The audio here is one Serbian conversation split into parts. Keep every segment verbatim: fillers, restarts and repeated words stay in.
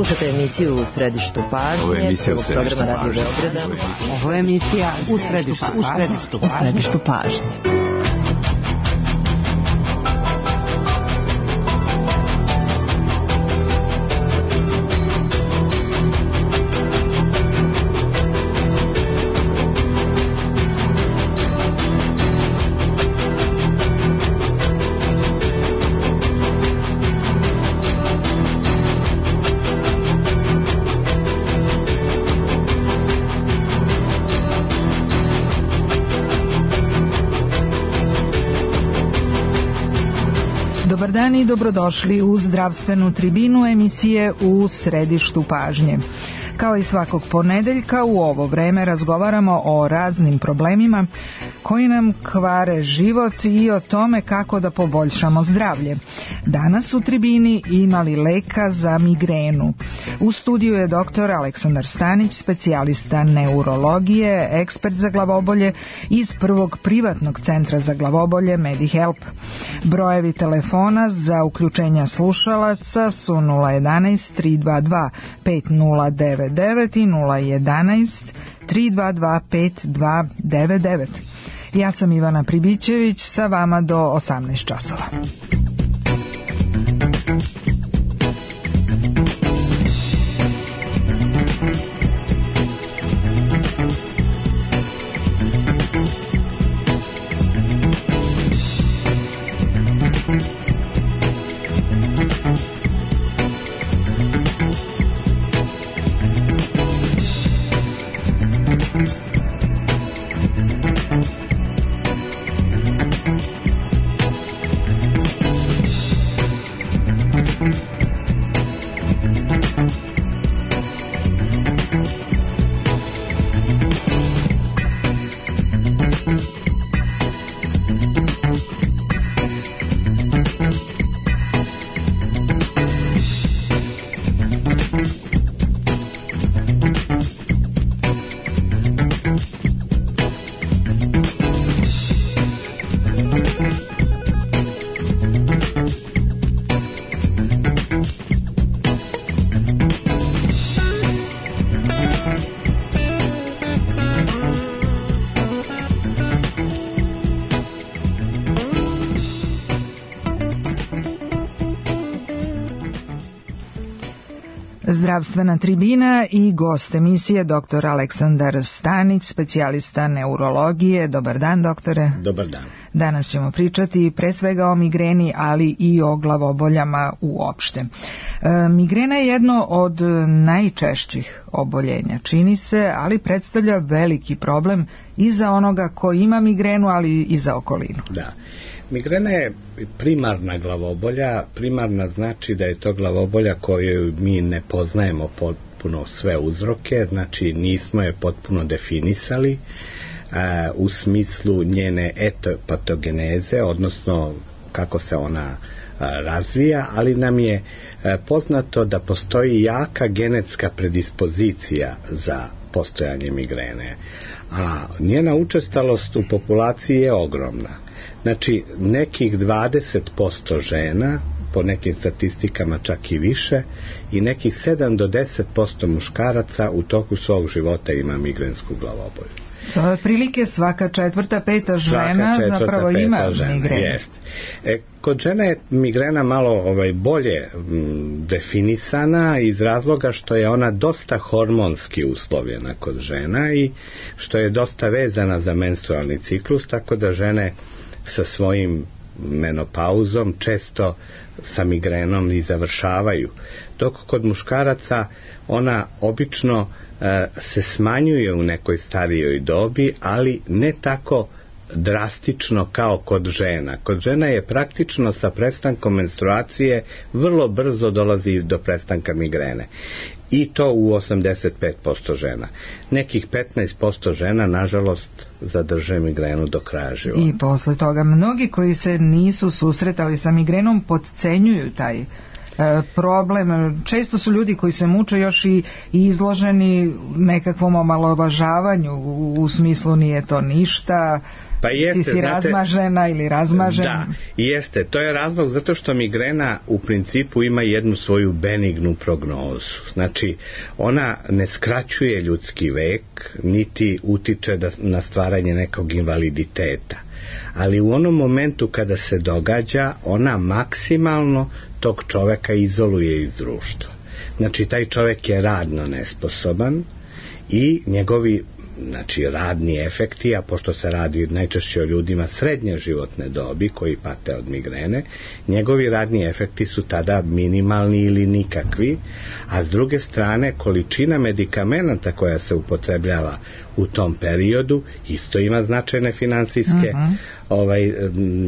Slušate emisiju U središtu pažnje, prvog programa Radio Beograda. Ovo je emisija U središtu, u središtu, u središtu pažnje. Dobar dan i dobrodošli u zdravstvenu tribinu emisije U središtu pažnje. Kao i svakog ponedeljka u ovo vreme razgovaramo o raznim problemima koji nam kvare život i o tome kako da poboljšamo zdravlje. Danas u tribini imali leka za migrenu. U studiju je doktor Aleksandar Stanić, specijalista neurologije, ekspert za glavobolje iz prvog privatnog centra za glavobolje MediHelp. Brojevi telefona za uključenja slušalaca su nula jedanaest tri dva dva pet nula devet devet i nula jedanaest tri dva dva pet dva devet devet. Ja sam Ivana Pribićević, sa vama do osamnaest časova. Zdravstvena tribina i gost emisije doktor Aleksandar Stanić, specijalista neurologije. Dobar dan, doktore. Dobar dan. Danas ćemo pričati pre svega o migreni, ali i o glavoboljama uopšte. E, migrena je jedno od najčešćih oboljenja, čini se, ali predstavlja veliki problem i za onoga ko ima migrenu, ali i za okolinu. Da. Migrena je primarna glavobolja. Primarna znači da je to glavobolja koju mi ne poznajemo potpuno sve uzroke, znači nismo je potpuno definisali a, u smislu njene etopatogeneze, odnosno kako se ona a, razvija, ali nam je a, poznato da postoji jaka genetska predispozicija za postojanje migrene, a njena učestalost u populaciji je ogromna. Znači, nekih dvadeset posto žena, po nekim statistikama čak i više, i nekih sedam do deset posto muškaraca u toku svog života ima migrensku glavobolju. To je otprilike svaka četvrta, peta žena četvrta, zapravo peta ima migrenu. Jest. E, kod žena je migrena malo ovaj, bolje m, definisana iz razloga što je ona dosta hormonski uslovljena kod žena i što je dosta vezana za menstrualni ciklus, tako da žene sa svojim menopauzom često sa migrenom i završavaju. Dok kod muškaraca ona obično e, se smanjuje u nekoj starijoj dobi, ali ne tako drastično kao kod žena. Kod žena je praktično sa prestankom menstruacije vrlo brzo dolazi do prestanka migrene. I to u osamdeset pet posto žena. Nekih petnaest posto žena, nažalost, zadrže migrenu do kraja života. I posle toga mnogi koji se nisu susretali sa migrenom potcenjuju taj e, problem. Često su ljudi koji se muče još i, i izloženi nekakvom omalovažavanju u, u smislu nije to ništa, Pa jeste, ti si znate, razmažena ili razmažen. Da, jeste. To je razlog zato što migrena u principu ima jednu svoju benignu prognozu. Znači, ona ne skraćuje ljudski vek, niti utiče da, na stvaranje nekog invaliditeta. Ali u onom momentu kada se događa, ona maksimalno tog čoveka izoluje iz društva. Znači, taj čovek je radno nesposoban i njegovi, znači, radni efekti, a pošto se radi najčešće o ljudima srednje životne dobi koji pate od migrene, njegovi radni efekti su tada minimalni ili nikakvi, a s druge strane količina medikamenata koja se upotrebljava u tom periodu isto ima značajne finansijske uh-huh. ovaj,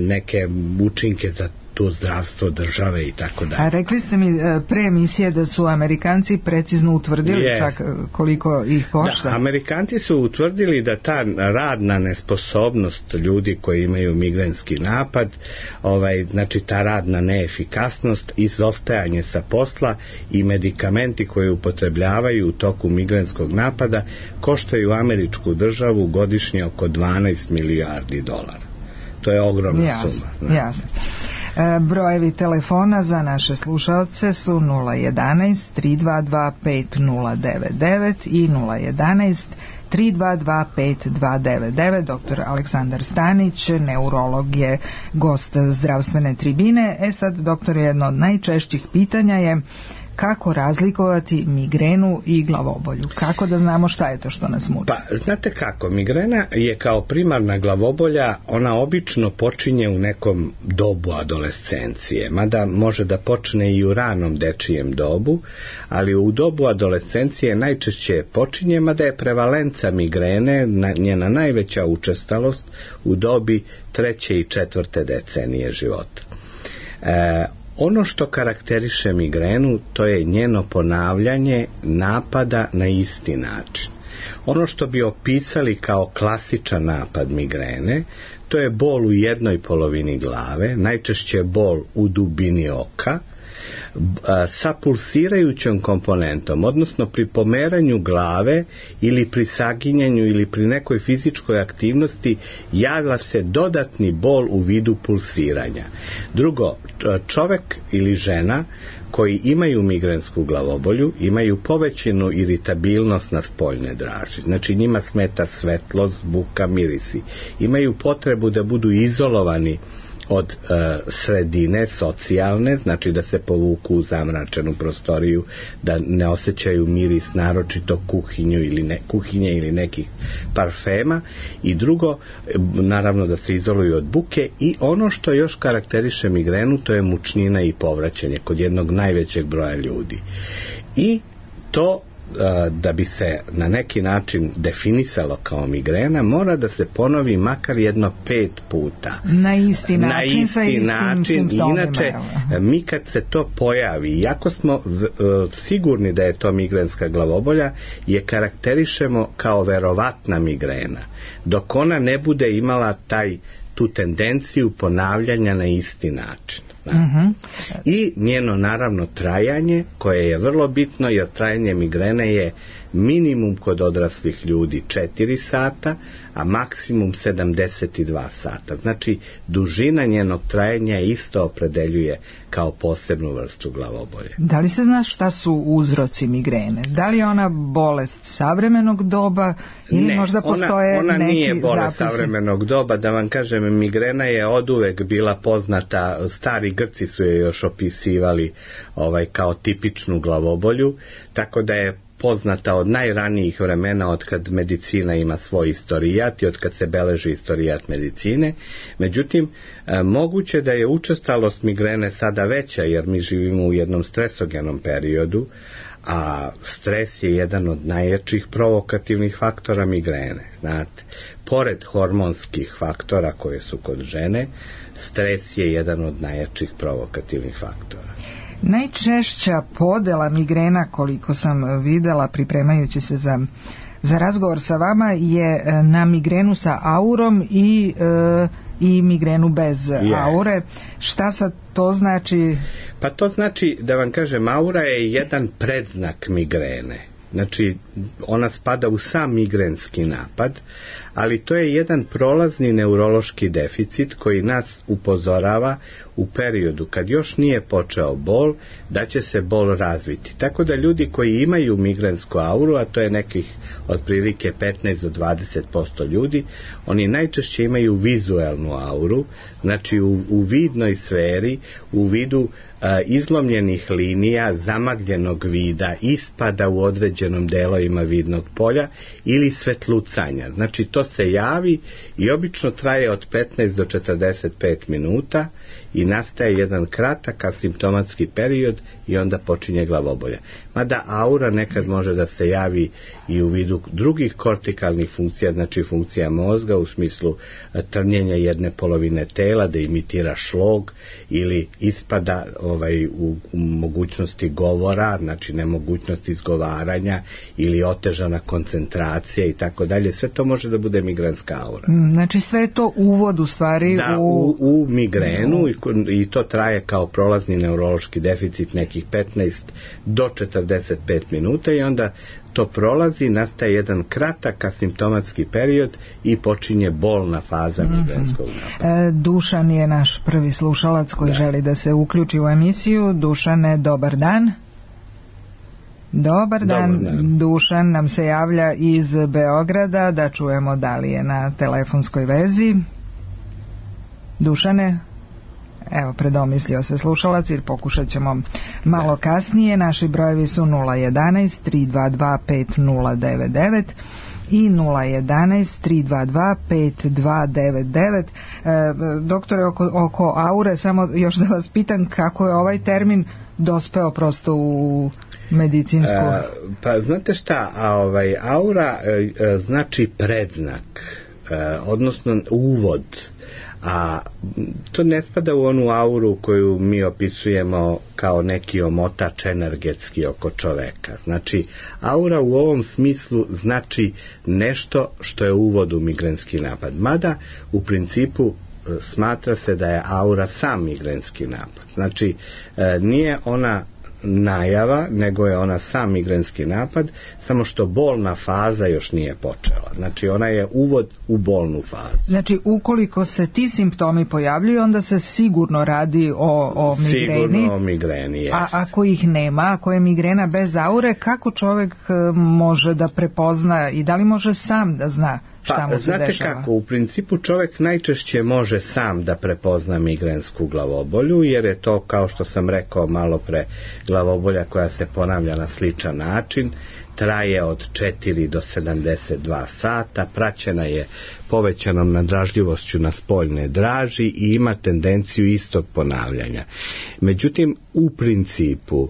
neke učinke za to zdravstvo države i tako dalje. A rekli ste mi pre emisije da su Amerikanci precizno utvrdili yes. čak koliko ih košta. Da, Amerikanci su utvrdili da ta radna nesposobnost ljudi koji imaju migrenski napad, ovaj, znači ta radna neefikasnost, izostajanje sa posla i medikamenti koje upotrebljavaju u toku migrenskog napada koštaju američku državu godišnje oko dvanaest milijardi dolara. To je ogromna jasne, suma. Da. Jasno. E, brojevi telefona za naše slušalce su nula jedanaest tri dva dva pet nula devet devet i nula jedanaest tri dva dva pet dva devet devet. Doktor Aleksandar Stanić, neurolog, je gost zdravstvene tribine. E sad, doktor, jedno od najčešćih pitanja je kako razlikovati migrenu i glavobolju? Kako da znamo šta je to što nas muči? Pa, znate kako, migrena je kao primarna glavobolja, ona obično počinje u nekom dobu adolescencije, mada može da počne i u ranom dečijem dobu, ali u dobu adolescencije najčešće počinje, mada je prevalenca migrene, njena najveća učestalost u dobi treće i četvrte decenije života. E, Ono što karakteriše migrenu, to je njeno ponavljanje napada na isti način. Ono što bi opisali kao klasičan napad migrene, to je bol u jednoj polovini glave, najčešće bol u dubini oka, sa pulsirajućom komponentom, odnosno pri pomeranju glave ili pri saginjanju ili pri nekoj fizičkoj aktivnosti javlja se dodatni bol u vidu pulsiranja. Drugo, čovek ili žena koji imaju migrensku glavobolju imaju povećanu iritabilnost na spoljne draži. Znači njima smeta svetlost, buka, mirisi. Imaju potrebu da budu izolovani od e, sredine socijalne, znači da se povuku u zamračenu prostoriju, da ne osjećaju miris naročito kuhinju ili ne, kuhinje ili nekih parfema, i drugo, naravno da se izoluju od buke, i ono što još karakteriše migrenu, to je mučnina i povraćanje kod jednog najvećeg broja ljudi. I to da bi se na neki način definisalo kao migrena, mora da se ponovi makar jedno pet puta. Na isti način, na isti sa istim način. Inače, mi kad se to pojavi, iako smo sigurni da je to migrenska glavobolja, je karakterišemo kao verovatna migrena, dok ona ne bude imala taj tu tendenciju ponavljanja na isti način. Uh-huh. I njeno naravno trajanje, koje je vrlo bitno, jer trajanje migrene je minimum kod odraslih ljudi četiri sata, a maksimum sedamdeset dva sata. Znači, dužina njenog trajanja isto opredeljuje kao posebnu vrstu glavobolje. Da li se zna šta su uzroci migrene? Da li je ona bolest savremenog doba ili ne, možda postoje ona, ona neki nije bolest zapisi? savremenog doba, da vam kažem, migrena je oduvek bila poznata, stari Grci su je još opisivali ovaj, kao tipičnu glavobolju, tako da je poznata od najranijih vremena, od kad medicina ima svoj istorijat i od kad se beleži istorijat medicine. Međutim, e, moguće da je učestalost migrene sada veća, jer mi živimo u jednom stresogenom periodu, a stres je jedan od najjačih provokativnih faktora migrene. Znate, pored hormonskih faktora koje su kod žene, stres je jedan od najjačih provokativnih faktora. Najčešća podela migrena, koliko sam videla pripremajući se za, za razgovor sa vama, je na migrenu sa aurom i, e, i migrenu bez yes. aure. Šta sad to znači? Pa to znači, da vam kažem, aura je jedan predznak migrene. Znači, ona spada u sam migrenski napad, ali to je jedan prolazni neurološki deficit koji nas upozorava u periodu kad još nije počeo bol, da će se bol razviti. Tako da ljudi koji imaju migrensku auru, a to je nekih otprilike petnaest do dvadeset posto ljudi, oni najčešće imaju vizuelnu auru, znači u, u vidnoj sferi, u vidu a, izlomljenih linija, zamagljenog vida, ispada u određenom delovima vidnog polja ili svetlucanja. Znači to se javi i obično traje od petnaest do četrdeset pet minuta i nastaje jedan kratak asimptomatski period i onda počinje glavobolja. Mada aura nekad može da se javi i u vidu drugih kortikalnih funkcija, znači funkcija mozga u smislu trnjenja jedne polovine tela, da imitira šlog ili ispada ovaj, u, u mogućnosti govora, znači nemogućnost izgovaranja ili otežana koncentracija i tako dalje. Sve to može da bude migrenska aura. Znači sve je to uvod u stvari da, u... u, u migrenu u... I, i to traje kao prolazni neurološki deficit nekih petnaest do četrdeset pet minuta i onda to prolazi, nastaje jedan kratak asimptomatski period i počinje bolna faza mm-hmm. migrenskog napada. E, Dušan je naš prvi slušalac koji da. želi da se uključi u emisiju. Dušane, dobar dan. Dobar dan. Dobar dan. Dušan nam se javlja iz Beograda, da čujemo da li je na telefonskoj vezi. Dušane, evo, predomislio se slušalac, jer pokušat ćemo malo kasnije. Naši brojevi su nula jedanaest tri dva dva pet nula devet devet i nula jedanaest tri dva dva pet dva devet devet. E, doktore, oko, oko aure, samo još da vas pitam kako je ovaj termin dospeo prosto u medicinsku... E, pa znate šta, a ovaj, aura e, e, znači predznak, e, odnosno uvod, a to ne spada u onu auru koju mi opisujemo kao neki omotač energetski oko čoveka. Znači, aura u ovom smislu znači nešto što je uvod u migrenski napad. Mada, u principu, smatra se da je aura sam migrenski napad. Znači, nije ona najava, nego je ona sam migrenski napad, samo što bolna faza još nije počela. Znači ona je uvod u bolnu fazu. Znači ukoliko se ti simptomi pojavljuju, onda se sigurno radi o, o migreni. Sigurno o migreni, jest. A ako ih nema, ako je migrena bez aure, kako čovjek može da prepozna i da li može sam da zna šta mu se znate dešava? Kako, u principu čovjek najčešće može sam da prepozna migrensku glavobolju, jer je to, kao što sam rekao malo pre, glavobolja koja se ponavlja na sličan način, traje od četiri do sedamdeset dva sata, praćena je povećanom nadražljivošću na spoljne draži i ima tendenciju istog ponavljanja. Međutim, u principu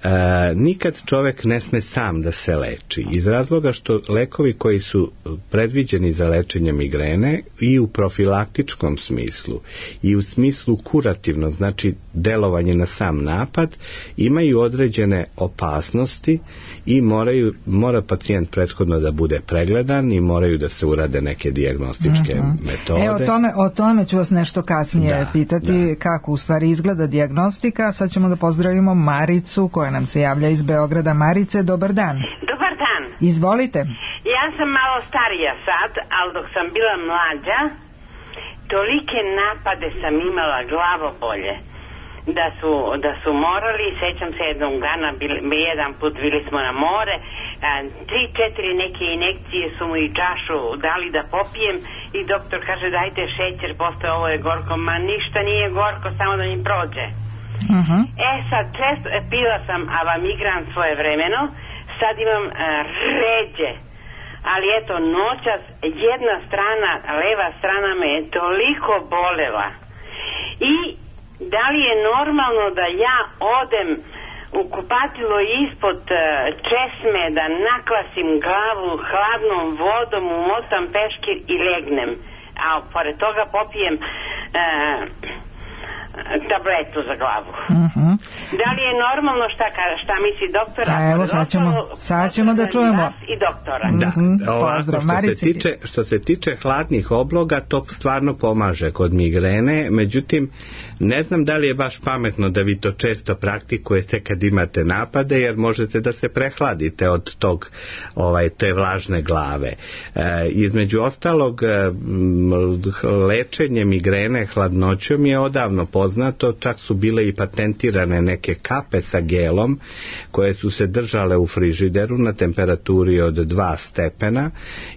E, nikad čovjek ne sme sam da se leči, iz razloga što lekovi koji su predviđeni za lečenje migrene i u profilaktičkom smislu i u smislu kurativnog, znači delovanje na sam napad, imaju određene opasnosti i moraju, mora pacijent prethodno da bude pregledan i moraju da se urade neke dijagnostičke mm-hmm. metode. E, o tome, o tome ću vas nešto kasnije da, pitati, da. Kako u stvari izgleda dijagnostika. Sad ćemo da pozdravimo Maricu koja nam se javlja iz Beograda. Marice, dobar dan. Dobar dan. Izvolite. Ja sam malo starija sad, ali dok sam bila mlađa, tolike napade sam imala glavobolje da su, da su morali, sećam se jednog dana, bili, jedan put bili smo na more, a, tri, četiri neke injekcije su mu i čašu dali da popijem i doktor kaže dajte šećer, posle ovo je gorko, ma ništa nije gorko, samo da mi prođe. Uh-huh. E sad, često pila sam avamigran svoje vremeno, sad imam a, ređe, ali eto noćas jedna strana, leva strana me je toliko bolela i da li je normalno da ja odem u kupatilo ispod uh, česme, da naklasim glavu hladnom vodom, umotam peškir i legnem, a pored toga popijem uh, tabletu za glavu. Uh-huh. Da li je normalno šta, šta misli doktor? A evo sad ćemo, sad ćemo da čujemo. I doktora. Da, mm-hmm. ovako, Pozdrav, što, se tiče, što se tiče hladnih obloga, to stvarno pomaže kod migrene, međutim, ne znam da li je baš pametno da vi to često praktikujete kad imate napade, jer možete da se prehladite od tog, ovaj, te vlažne glave. E, između ostalog, lečenje migrene hladnoćom je odavno poznato, čak su bile i patentirane neke kape sa gelom koje su se držale u frižideru na temperaturi od dva stepena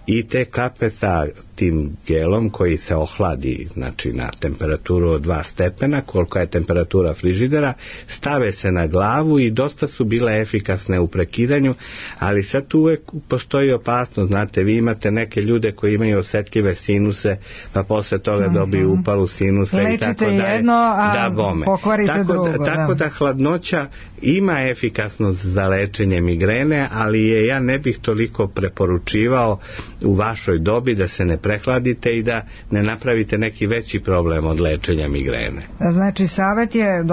i te kape sa tim gelom koji se ohladi, znači na temperaturu od dva stepena, kolika je temperatura frižidera, stave se na glavu i dosta su bile efikasne u prekidanju, ali sad tu uvek postoji opasnost, znate, vi imate neke ljude koji imaju osetljive sinuse, pa posle toga mm-hmm. dobiju upalu sinusa i tako dalje. Jedno, a da bome. Pokvarite tako drugo. Da, tako da hladnoća ima efikasnost za lečenje migrene, ali je ja ne bih toliko preporučivao u vašoj dobi da se ne prehladite i da ne napravite neki veći problem od lečenja migrene. Znači, savjet je,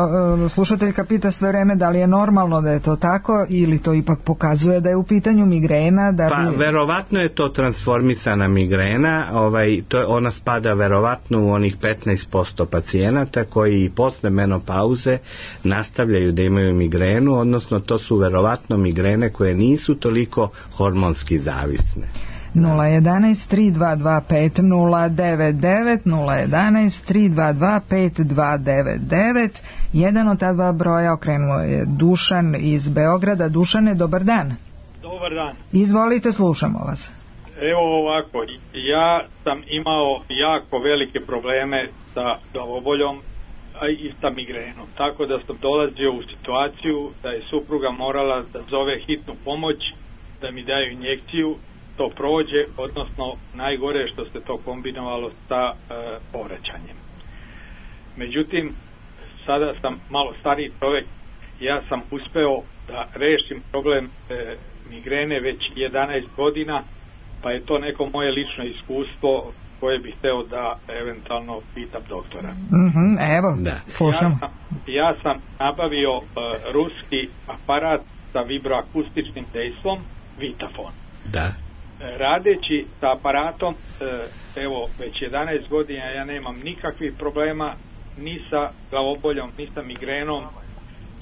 slušateljka pita sve vreme da li je normalno da je to tako ili to ipak pokazuje da je u pitanju migrena. Da pa, bi... verovatno je to transformisana migrena, ovaj, to, ona spada verovatno u onih petnaest posto pacijenata koji i posle menopauze nastavljaju da imaju migrenu, odnosno to su verovatno migrene koje nisu toliko hormonski zavisne. nula jedan tri dva dva pet nula devet devet nula jedan tri dva dva pet dva devet devet. Jedan od ta dva broja okrenuo je Dušan iz Beograda. Dušane, dobar dan. Dobar dan. Izvolite, slušamo vas. Evo ovako, ja sam imao jako velike probleme sa glavoboljom i sa migrenom, tako da sam dolazio u situaciju da je supruga morala da zove hitnu pomoć, da mi daju injekciju, to prođe, odnosno najgore što se to kombinovalo sa e, povraćanjem. Međutim, sada sam malo stariji čovjek, ja sam uspeo da rešim problem e, migrene već jedanaest godina, pa je to neko moje lično iskustvo koje bih hteo da eventualno pitam doktora. Mm-hmm, evo, da. Slušam. Ja sam, ja sam nabavio e, ruski aparat sa vibroakustičnim dejstvom, Vitafon. Da. Radeći sa aparatom, evo, već jedanaest godina ja nemam nikakvih problema ni sa glavoboljom, ni sa migrenom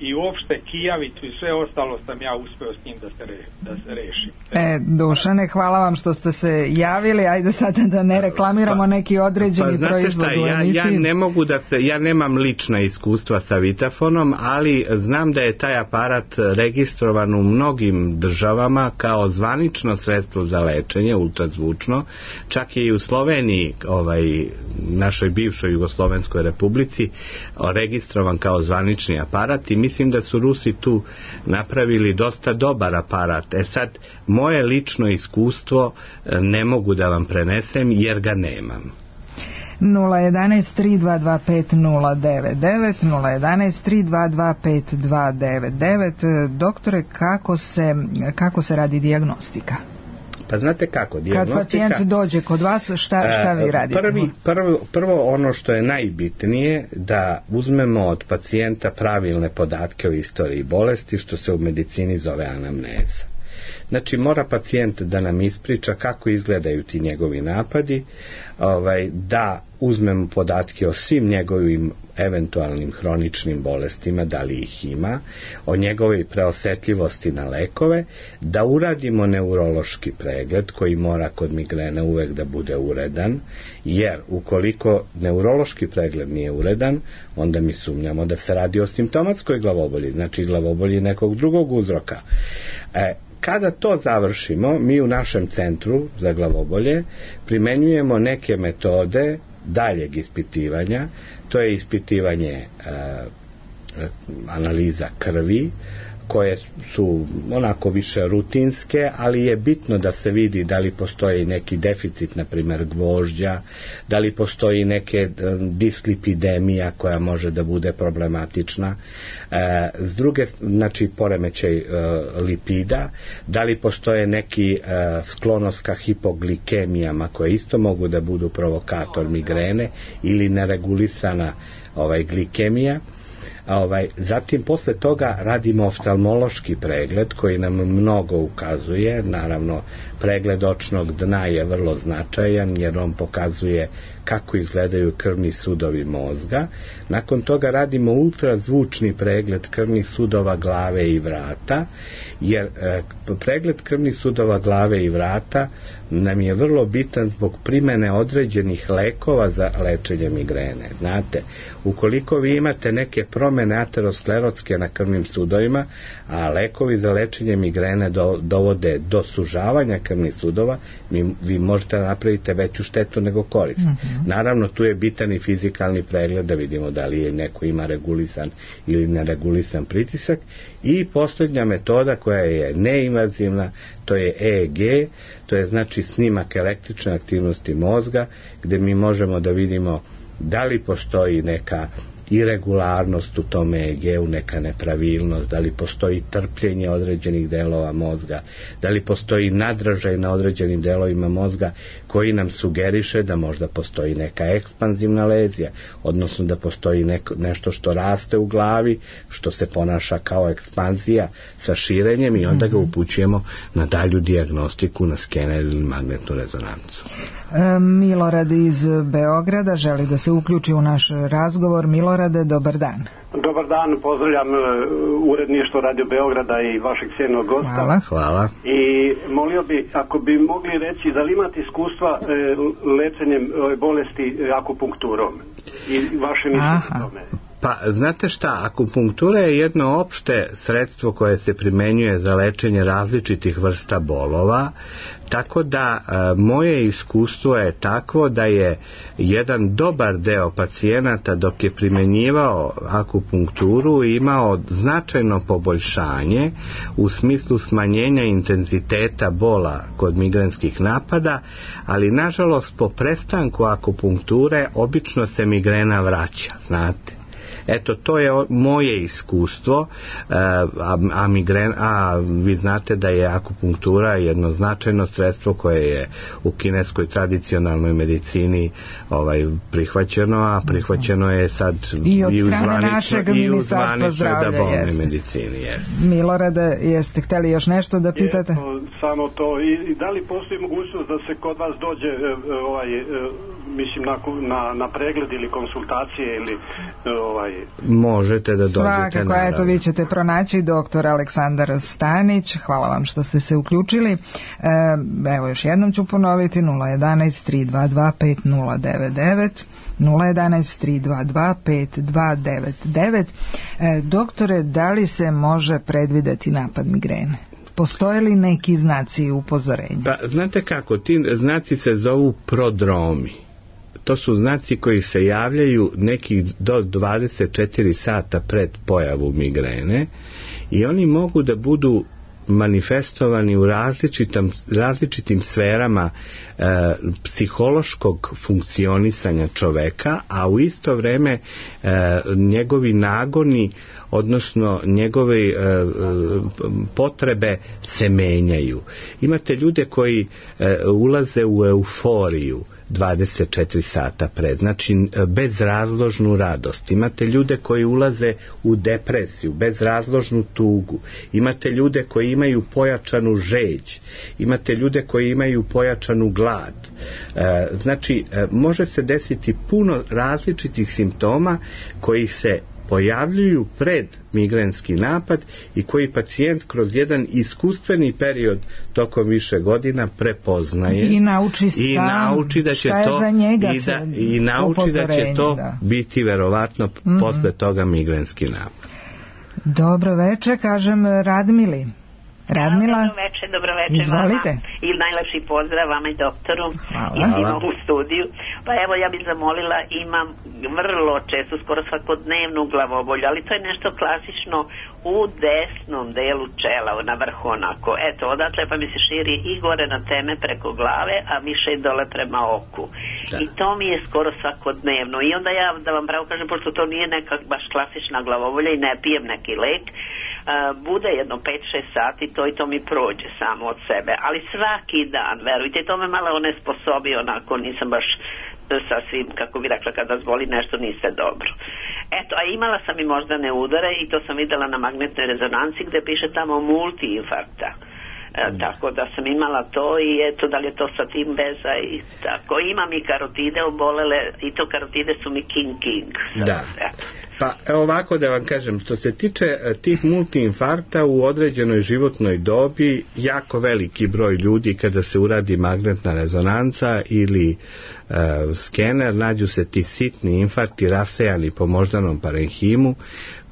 i uopšte kijavicu i sve ostalo sam ja uspeo s njim da se, re, da se reši. E, Dušane, hvala vam što ste se javili, ajde sada da ne reklamiramo pa, neki određeni pa, proizvod u ja, emisiji. ja ne mogu da se, ja nemam lična iskustva sa Vitafonom, ali znam da je taj aparat registrovan u mnogim državama kao zvanično sredstvo za lečenje, ultrazvučno, čak je i u Sloveniji, ovaj, našoj bivšoj Jugoslovenskoj republici, registrovan kao zvanični aparat i mislim da su Rusi tu napravili dosta dobar aparat. E sad, moje lično iskustvo ne mogu da vam prenesem jer ga nemam. nula jedan tri dva dva pet nula devet devet nula jedan tri dva dva pet dva devet devet. Doktore, kako se, kako se radi dijagnostika? Pa znate kako, dijagnostika... Kad pacijent dođe kod vas, šta, šta vi radite? Prvi, prvo, prvo ono što je najbitnije, da uzmemo od pacijenta pravilne podatke o istoriji bolesti, što se u medicini zove anamneza. Znači, mora pacijent da nam ispriča kako izgledaju ti njegovi napadi, ovaj, da uzmemo podatke o svim njegovim eventualnim hroničnim bolestima, da li ih ima, o njegovoj preosetljivosti na lekove, da uradimo neurološki pregled koji mora kod migrene uvek da bude uredan, jer ukoliko neurološki pregled nije uredan, onda mi sumnjamo da se radi o simptomatskoj glavobolji, znači glavobolji nekog drugog uzroka. E, Kada to završimo, mi u našem centru za glavobolje primenjujemo neke metode daljeg ispitivanja. To je ispitivanje e, analiza krvi, koje su onako više rutinske, ali je bitno da se vidi da li postoji neki deficit, na primjer gvožđa, da li postoji neke dislipidemija koja može da bude problematična, e, s druge, znači poremećaj e, lipida, da li postoje neki e, sklonost ka hipoglikemijama koje isto mogu da budu provokator migrene ili neregulisana ovaj, glikemija. A ovaj, zatim posle toga radimo oftalmološki pregled koji nam mnogo ukazuje. Naravno, pregled očnog dna je vrlo značajan jer on pokazuje kako izgledaju krvni sudovi mozga. Nakon toga radimo ultrazvučni pregled krvnih sudova glave i vrata, jer e, pregled krvnih sudova glave i vrata nam je vrlo bitan zbog primene određenih lekova za lečenje migrene. Znate, ukoliko vi imate neke promene aterosklerotske na krvnim sudovima, a lekovi za lečenje migrene do, dovode do sužavanja krvnih sudova, mi, vi možete napraviti veću štetu nego korist. Mm-hmm. Naravno, tu je bitan i fizikalni pregled da vidimo da li je neko ima regulisan ili neregulisan pritisak. I posljednja metoda koja je neinvazivna, to je E E G, to je znači snimak električne aktivnosti mozga, gdje mi možemo da vidimo da li postoji neka iregularnost u tom E E G-u, neka nepravilnost, da li postoji trpljenje određenih delova mozga, da li postoji nadražaj na određenim delovima mozga koji nam sugeriše da možda postoji neka ekspanzivna lezija, odnosno da postoji neko, nešto što raste u glavi, što se ponaša kao ekspanzija sa širenjem i onda ga upućujemo na dalju dijagnostiku, na skener ili magnetnu rezonancu. E, Milorad iz Beograda želi da se uključi u naš razgovor. Milorade, dobar dan. Dobar dan, pozdravljam uredništvo Radio Beograda i vašeg cijenjenog gosta. Hvala. Hvala. I molio bi, ako bi mogli reći, da li imate iskustva e, lečenjem e, bolesti akupunkturom i vaše mišljenje o tome? Pa, znate šta, akupunktura je jedno opšte sredstvo koje se primenjuje za lečenje različitih vrsta bolova, tako da e, moje iskustvo je takvo da je jedan dobar deo pacijenata dok je primenjivao akupunkturu imao značajno poboljšanje u smislu smanjenja intenziteta bola kod migrenskih napada, ali nažalost po prestanku akupunkture obično se migrena vraća, znate. Eto, to je moje iskustvo, a, a, migren, a vi znate da je akupunktura jedno značajno sredstvo koje je u kineskoj tradicionalnoj medicini ovaj, prihvaćeno, a prihvaćeno je sad i od strane našeg ministarstva zdravlja da bolne medicini. Jest. Milorade, jeste hteli još nešto da pitate? Eto, samo to. I, i da li postoji mogućnost da se kod vas dođe ovaj, mislim na, na, na pregled ili konsultacije ili ovaj možete da dođete. Svakako, eto, vi ćete pronaći doktor Aleksandar Stanić. Hvala vam što ste se uključili. E, evo još jednom ću ponoviti: nula jedanaest tri dva dva pet nula devet devet, nula jedanaest tri dva dva pet dva devet devet. E, doktore, da li se može predvideti napad migrene? Postoje li neki znaci upozorenja? Pa, znate kako, ti znaci se zovu prodromi. To su znaci koji se javljaju nekih do dvadeset četiri sata pred pojavu migrene i oni mogu da budu manifestovani u različitim, različitim sferama e, psihološkog funkcionisanja čoveka, a u isto vreme e, njegovi nagoni, odnosno njegove e, potrebe se menjaju. Imate ljude koji e, ulaze u euforiju dvadeset četiri sata pred, znači bezrazložnu radost. Imate ljude koji ulaze u depresiju, bezrazložnu tugu. Imate ljude koji imaju pojačanu žeđ. Imate ljude koji imaju pojačanu glad. E, znači, može se desiti puno različitih simptoma koji se pojavljuju pred migrenski napad i koji pacijent kroz jedan iskustveni period tokom više godina prepoznaje i nauči sam i nauči da će to i, da, i nauči da će to da. biti verovatno mm-hmm. posle toga migrenski napad. Dobro večer, kažem Radmili. Radmila, dobro večer, dobro večer. Izvolite. Vama. I najlepši pozdrav vama i doktoru. Hvala. I svima u studiju. Pa evo, ja bih zamolila, imam vrlo često, skoro svakodnevnu glavobolju, ali to je nešto klasično u desnom delu čela, na vrhu onako. Eto, odatle pa mi se širi i gore na teme preko glave, a više i dole prema oku. Da. I to mi je skoro svakodnevno. I onda ja, da vam pravo kažem, pošto to nije neka baš klasična glavobolja i ne pijem neki lek, Uh, bude jedno pet šest sati to i to mi prođe samo od sebe, ali svaki dan, verujte, to me malo onesposobi, onako nisam baš sasvim, kako bi rekla, kada vas boli nešto niste dobro. Eto, a imala sam i moždane udare i to sam videla na magnetnoj rezonanci gde piše tamo multiinfarkta. E, tako da sam imala to i eto, da li je to sa tim veza i tako. Imam i karotide obolele i to karotide su mi king king. Da. Eto. Pa ovako da vam kažem, što se tiče tih multiinfarkta u određenoj životnoj dobi, jako veliki broj ljudi kada se uradi magnetna rezonanca ili e, skener, nađu se ti sitni infarkti rasejani po moždanom parenhimu,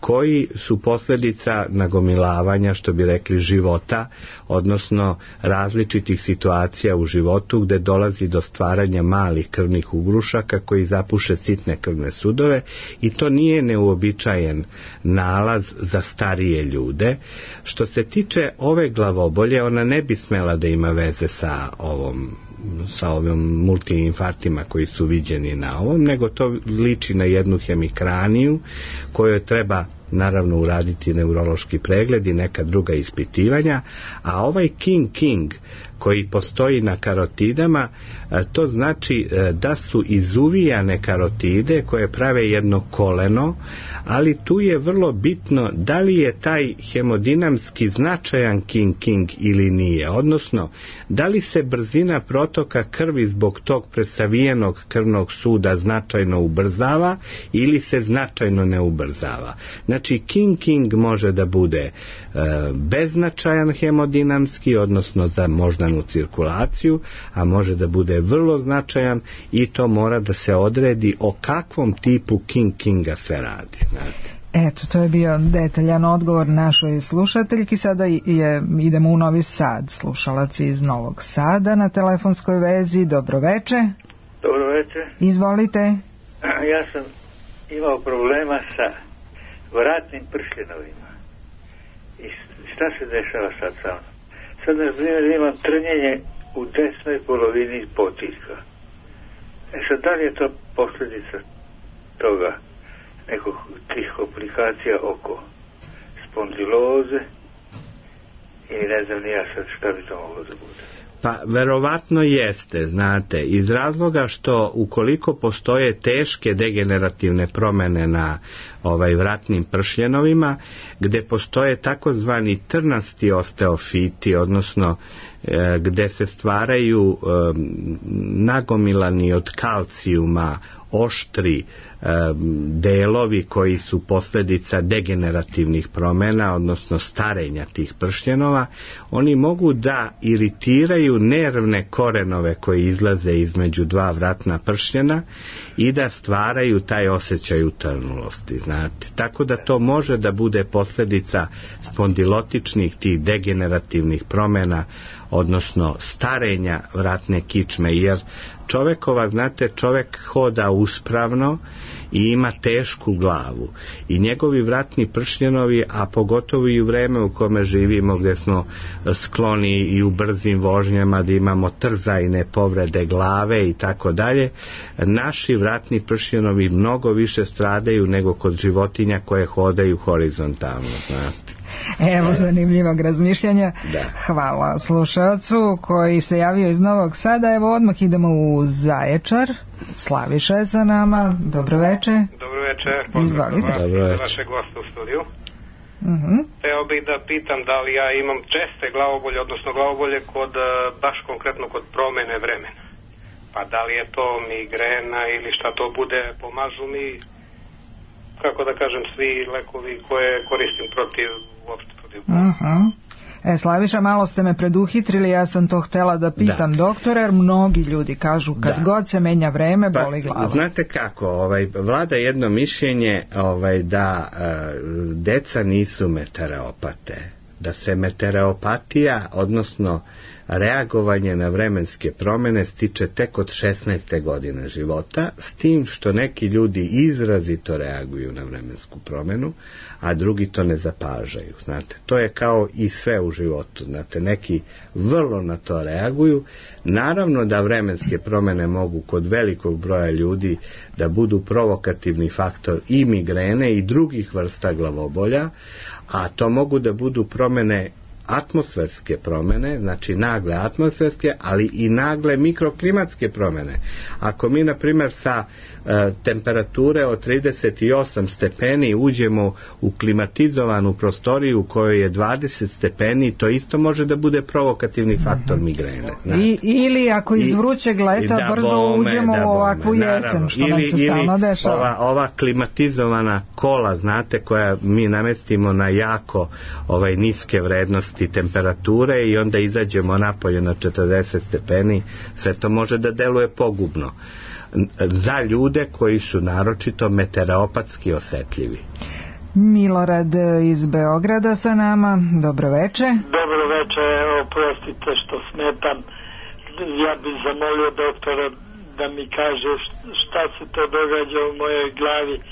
koji su posljedica nagomilavanja, što bi rekli, života, odnosno različitih situacija u životu gde dolazi do stvaranja malih krvnih ugrušaka koji zapuše sitne krvne sudove i to nije neuobičajen nalaz za starije ljude. Što se tiče ove glavobolje, ona ne bi smela da ima veze sa ovom sa ovim multiinfarktima koji su viđeni na ovom, nego to liči na jednu hemikraniju kojoj treba naravno uraditi neurološki pregled i neka druga ispitivanja, a ovaj King King koji postoji na karotidama, to znači da su izuvijane karotide koje prave jedno koleno, ali tu je vrlo bitno da li je taj hemodinamski značajan King King ili nije, odnosno da li se brzina protoka krvi zbog tog presavijenog krvnog suda značajno ubrzava ili se značajno ne ubrzava. Znači King King može da bude e, beznačajan hemodinamski, odnosno za moždanu cirkulaciju, a može da bude vrlo značajan i to mora da se odredi o kakvom tipu King Kinga se radi, znate. Eto, to je bio detaljan odgovor našoj slušateljki. Sada je, idemo u Novi Sad. Slušalac iz Novog Sada na telefonskoj vezi. Dobro veče. Dobro veče. Izvolite. Ja sam imao problema sa vratnim pršljenovima. I šta se dešava sad sa mnom? Sad, na primjer, imam trnjenje u desnoj polovini potiljka. E sad, da li je to posljedica toga, nekog tih komplikacija oko spondiloze i ne znam ni ja sad šta bi to moglo da bude? Pa verovatno jeste, znate, iz razloga što ukoliko postoje teške degenerativne promene na ovaj vratnim pršljenovima, gde postoje takozvani trnasti osteofiti, odnosno e, gde se stvaraju e, nagomilani od kalcijuma oštri e, delovi koji su posljedica degenerativnih promena, odnosno starenja tih pršljenova, oni mogu da iritiraju nervne korenove koji izlaze između dva vratna pršljena i da stvaraju taj osjećaj utrnulosti, znate. Tako da to može da bude posljedica spondilotičnih tih degenerativnih promena, odnosno starenja vratne kičme, jer čovekova, znate, čovek hoda uspravno i ima tešku glavu i njegovi vratni pršljenovi, a pogotovo i u vreme u kome živimo gdje smo skloni i u brzim vožnjama da imamo trzajne povrede glave i tako dalje, naši vratni pršljenovi mnogo više stradaju nego kod životinja koje hodaju horizontalno, znate. Evo zanimljivog razmišljanja. Da. Hvala slušalcu koji se javio iz Novog Sada. Evo odmah idemo u Zaječar. Slaviša je sa nama. Dobro veče. Dobro veče. Izvolite. Dobro veče. Vaše goste u studiju. Uh-huh. Teo bih da pitam da li ja imam česte glavobolje, odnosno glavobolje kod, baš konkretno kod promene vremena. Pa da li je to migrena ili šta to bude, pomažu mi, kako da kažem, svi lekovi koje koristim protiv, uopšte protiv. Uh-huh. E, Slaviša, malo ste me preduhitrili, ja sam to htela da pitam da. doktora, jer mnogi ljudi kažu kad da. god se menja vreme, pa, boli glava. Znate kako, ovaj, vlada jedno mišljenje ovaj, da e, deca nisu meteoropate, da se meteoropatija, odnosno reagovanje na vremenske promjene stiče tek od šesnaeste godine života, s tim što neki ljudi izrazito reaguju na vremensku promjenu, a drugi to ne zapažaju, znate. To je kao i sve u životu, znate, neki vrlo na to reaguju. Naravno da vremenske promjene mogu kod velikog broja ljudi da budu provokativni faktor i migrene i drugih vrsta glavobolja, a to mogu da budu promjene atmosferske promjene, znači nagle atmosferske, ali i nagle mikroklimatske promjene. Ako mi, na primjer, sa e, temperature od trideset osam stepeni uđemo u klimatizovanu prostoriju u kojoj je dvadeset stepeni, to isto može da bude provokativni faktor migrene. I, ili ako iz vrućeg leta da brzo bome, uđemo da u ovakvu bome, jesen, naravno, što ili, nam se stalno dešava. Ova, ova klimatizovana kola, znate, koja mi namestimo na jako ovaj, niske vrednosti temperature i onda izađemo napolje na četrdeset stepeni, sve to može da deluje pogubno za ljude koji su naročito meteoropatski osetljivi. Milorad iz Beograda sa nama, dobro veče. Dobro veče, evo, prostite što smetam. Ja bih zamolio doktora da mi kaže šta se to događa u mojoj glavi. E,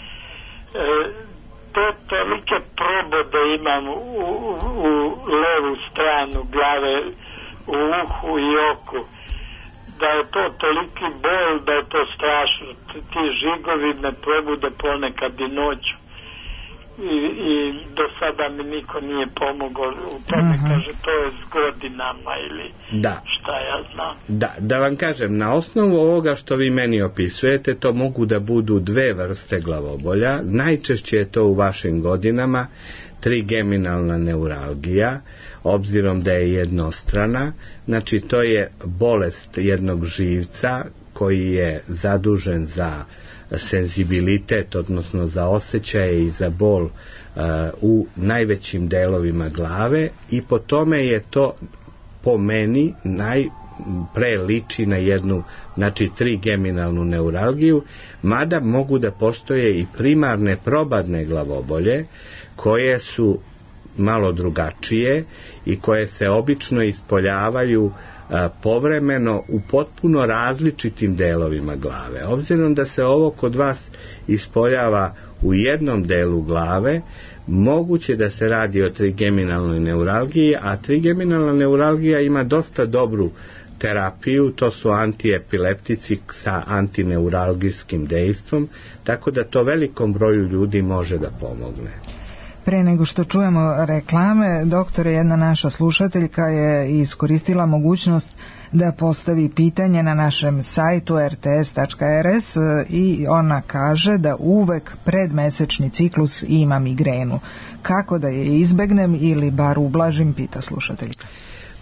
to tolike probode imam u, u, u levu stranu glave, u uhu i oku, da je to toliki bol, da je to strašno. Ti žigovi me probude ponekad i noću. I, i do sada mi niko nije pomogao u tome, uh-huh. kaže, to je s godinama ili da. Šta ja znam. Da, da vam kažem, na osnovu ovoga što vi meni opisujete, to mogu da budu dve vrste glavobolja. Najčešće je to u vašim godinama trigeminalna neuralgija, obzirom da je jednostrana, znači to je bolest jednog živca koji je zadužen za senzibilitet, odnosno za osjećaje i za bol uh, u najvećim delovima glave, i po tome je to po meni najpre liči na jednu, znači trigeminalnu neuralgiju, mada mogu da postoje i primarne probadne glavobolje koje su malo drugačije i koje se obično ispoljavaju a, povremeno u potpuno različitim delovima glave. Obzirom da se ovo kod vas ispoljava u jednom delu glave, moguće da se radi o trigeminalnoj neuralgiji, a trigeminalna neuralgija ima dosta dobru terapiju, to su antiepileptici sa antineuralgijskim dejstvom, tako da to velikom broju ljudi može da pomogne. Pre nego što čujemo reklame, doktore, jedna naša slušateljka je iskoristila mogućnost da postavi pitanje na našem sajtu er te es tačka er es i ona kaže da uvek pred mesečni ciklus ima migrenu. Kako da je izbegnem ili bar ublažim, pita slušateljka.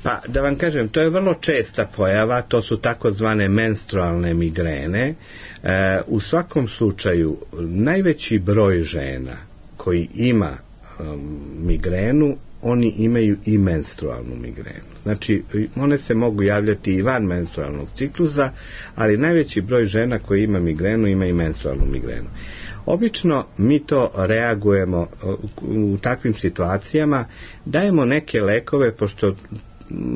Pa, da vam kažem, to je vrlo česta pojava, to su takozvane menstrualne migrene. E, u svakom slučaju, najveći broj žena koji ima um, migrenu, oni imaju i menstrualnu migrenu. Znači, one se mogu javljati i van menstrualnog ciklusa, ali najveći broj žena koji ima migrenu, ima i menstrualnu migrenu. Obično mi to reagujemo u takvim situacijama, dajemo neke lekove, pošto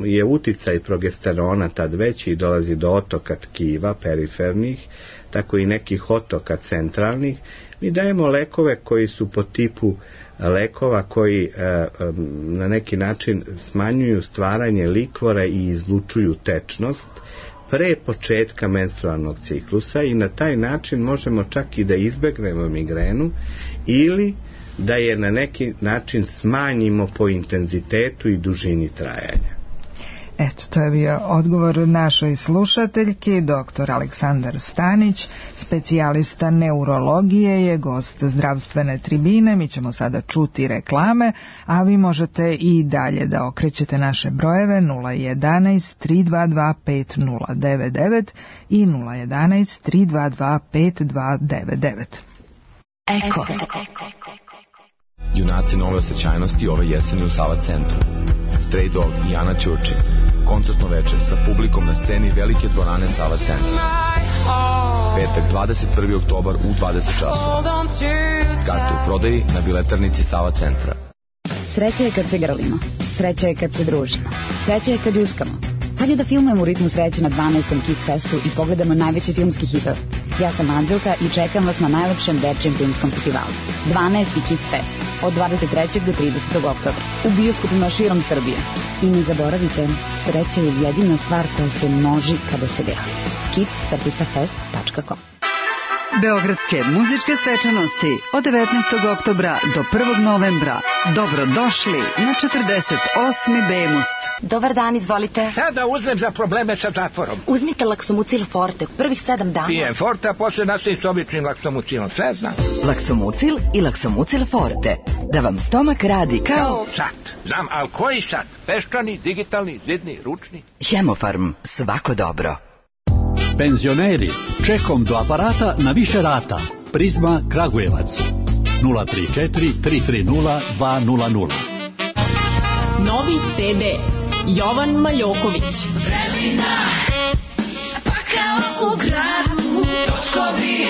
je uticaj progesterona tad veći i dolazi do otoka tkiva perifernih, tako i nekih otoka centralnih. Mi dajemo lekove koji su po tipu lekova koji e, na neki način smanjuju stvaranje likvora i izlučuju tečnost pre početka menstrualnog ciklusa, i na taj način možemo čak i da izbegnemo migrenu ili da je na neki način smanjimo po intenzitetu i dužini trajanja. Eto, to je bio odgovor našoj slušateljki. Doktor Aleksandar Stanić, specijalista neurologije, je gost zdravstvene tribine. Mi ćemo sada čuti reklame, a vi možete i dalje da okrećete naše brojeve nula jedanaest tri dva dva pet nula devet devet i nula jedanaest tri dva dva pet dva devet devet. Eko. Junaci nove osjećajnosti ove jeseni u Sava centru. Stray Dog i Ana Ćurčin. Koncertno večer sa publikom na sceni velike dvorane Sava centra. Petak dvadeset prvi oktobar u dvadeset časova. Karte u prodaji na biletarnici Sava centra. Sreća je kad se grlimo. Sreća je kad se družimo. Sreća je kad uskamo. Hajde da filmujemo u ritmu sreće na dvanaestom Kids Festu i pogledamo najveći filmski hitov. Ja sam Anđelka i čekam vas na najlepšem dečijem filmskom festivalu. dvanaesti Kids Fest od dvadeset trećeg do tridesetog oktobra u bioskopima širom Srbije. I ne zaboravite, sreća je jedina stvar koja se množi kada se grli. kids fest tačka com. Beogradske muzičke svečanosti od devetnaestog oktobra do prvog novembra. Dobrodošli na četrdeset osmi Bemus. Dobar dan, izvolite. Sada uzmem za probleme sa zatvorom. Uzmite Laksomucil Forte, prvih sedam dana. Pijem Forte, a posle nastavim s običnim Laksomucilom, sve znam. Laksomucil i Laksomucil Forte. Da vam stomak radi kao... Kao sat. Znam, ali koji sat? Peščani, digitalni, zidni, ručni? Hemofarm, svako dobro. Penzioneri, čekom do aparata na više rata. Prizma Kragujevac. nula tri četiri tri tri nula dva nula nula. Novi ce de Jovan Maljoković. Vremena, pa kao u gradu, točkovi,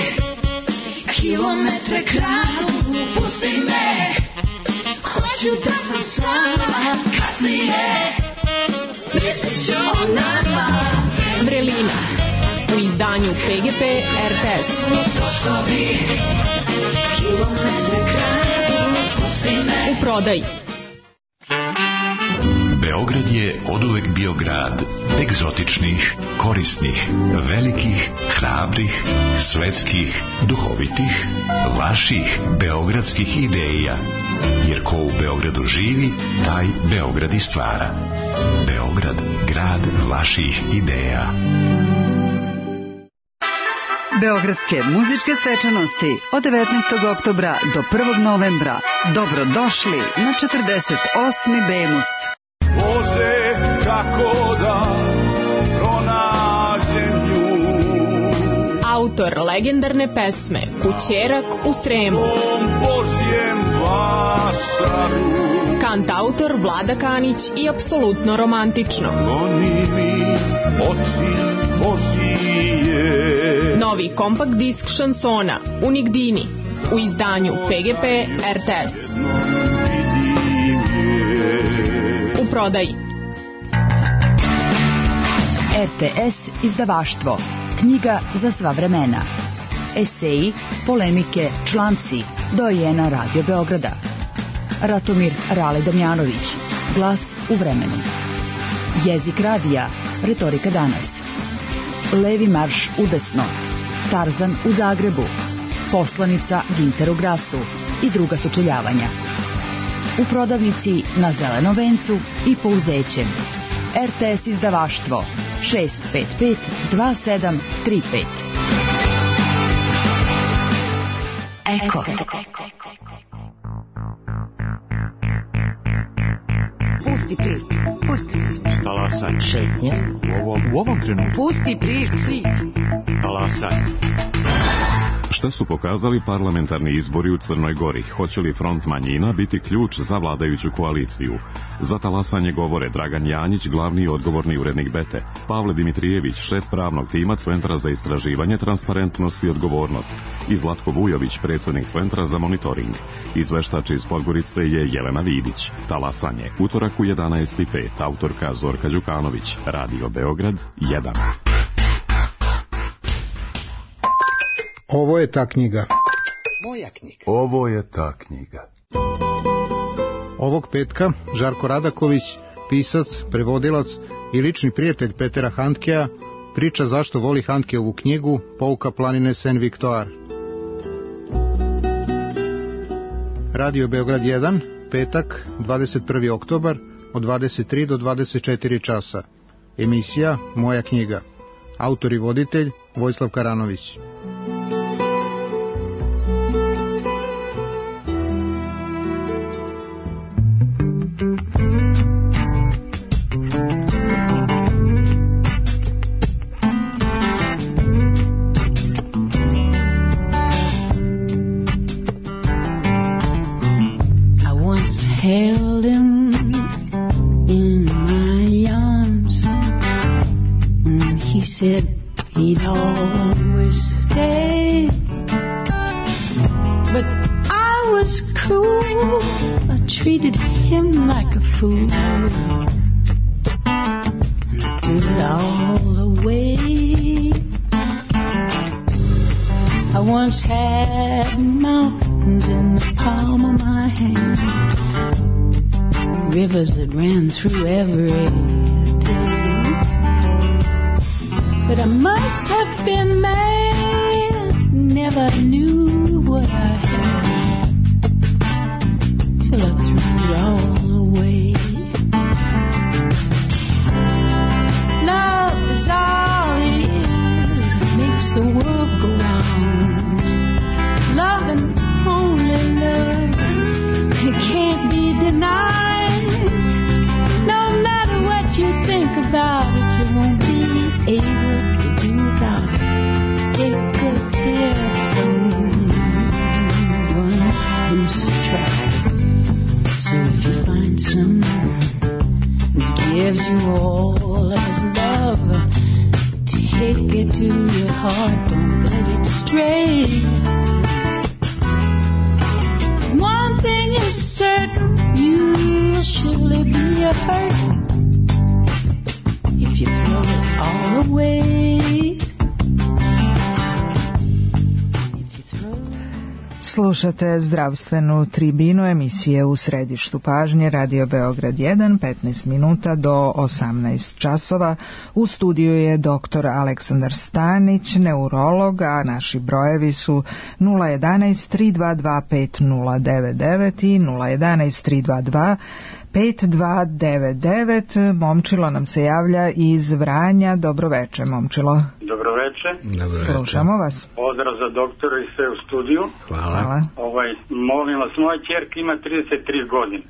kilometre kradu, pusti me, hoću da sam sama, kasnije, mislit ću o nama. Vrelina, u izdanju pe ge pe er te es. Točkovi, kilometre kradu, pusti me. U prodaji. Beograd je oduvek bio grad egzotičnih, korisnih, velikih, hrabrih, svetskih, duhovitih, vaših beogradskih ideja. Jer ko u Beogradu živi, taj Beograd i stvara. Beograd, grad vaših ideja. Beogradske muzičke svečanosti od devetnaestog oktobra do prvog novembra. Dobrodošli na četrdeset osmi Bemus. Bože, kako da pronađem nju. Autor legendarne pesme Kućerak u Sremu. Božjem vašaru. Kantautor Vlada Kanić i apsolutno romantično. Goni mi oči Božije. Novi kompakt disk šansona Unigdini u izdanju pe ge pe er te es. U prodaji. er te es izdavaštvo. Knjiga za sva vremena. Eseji, polemike, članci. Dojena Radio Beograda. Ratomir Rale Damjanović. Glas u vremenu. Jezik radija. Retorika danas. Levi marš udesno. Tarzan u Zagrebu. Poslanica Ginteru Grasu i druga sučeljavanja. U prodavnici na Zelenom vencu i Pouzećem. er te es izdavaštvo šest pet pet dva sedam tri pet. Eko. Pusti priču, pusti priču. Talasanje. Šetnja. U ovom, u ovom trenutku. Pusti priču. Talasanje. Šta su pokazali parlamentarni izbori u Crnoj Gori? Hoće li front manjina biti ključ za vladajuću koaliciju? Za talasanje govore Dragan Janjić, glavni i odgovorni urednik Bete, Pavle Dimitrijević, šef pravnog tima Centra za istraživanje, transparentnost i odgovornost, i Zlatko Vujović, predsjednik Centra za monitoring. Izveštač iz Podgorice je Jelena Vidić. Talasanje, utorak u jedanaest i pet, autorka Zorka Đukanović, Radio Beograd jedan. Ovo je ta knjiga. Moja knjiga. Ovo je ta knjiga. Ovog petka Žarko Radaković, pisac, prevodilac i lični prijatelj Petera Handkea, priča zašto voli Handkeovu knjigu Pouka planine Saint Victoire. Radio Beograd jedan, petak, dvadeset prvi oktobar, od dvadeset tri do dvadeset četiri časa. Emisija Moja knjiga. Autor i voditelj Vojislav Karanović. Held him in my arms, and he said he'd always stay. But I was cruel, I treated him like a fool, threw it all away. I once had mountains in the palm of my hand, rivers that ran through every day. But I must have been mad, never never knew what I had till I threw it all away. Love is all it is, it makes the world go round. Love and only love, it can't be denied. No matter what you think about it, you won't be able to do without it. Take a telephone, one who's tried. So if you find someone who gives you all of his love, take it to your heart, don't let it stray. One thing is certain, you'll surely be hurt if you throw it all away. Slušate zdravstvenu tribinu emisije U središtu pažnje Radio Beograd jedan, petnaest minuta do osamnaest časova. U studiju je doktor Aleksandar Stanić, neurolog, a naši brojevi su nula jedanaest tri dva dva pet nula devet devet i nula jedanaest tri dva dva pet dva devet devet. Momčilo nam se javlja iz Vranja. Dobroveče, Momčilo. Dobroveče. Dobroveče. Slušamo vas. Pozdrav za doktora i sve u studiju. Hvala. Hvala. Ovaj, molim vas, moja ćerka ima trideset tri godine.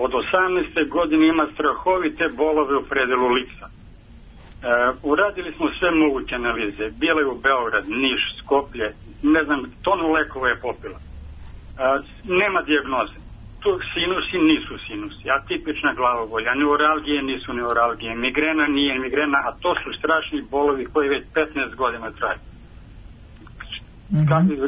Od osamnaeste godine ima strahovite bolove u predelu lica. E, uradili smo sve moguće analize. Bila je u Beograd, Niš, Skoplje, ne znam, tonu lekova je popila. E, nema dijagnoze. Tu sinusi nisu sinusi, atipična glavobolja, neuralgije nisu neuralgije, migrena nije migrena, a to su strašni bolovi koji već petnaest godina traju. Mm-hmm. Kako bi...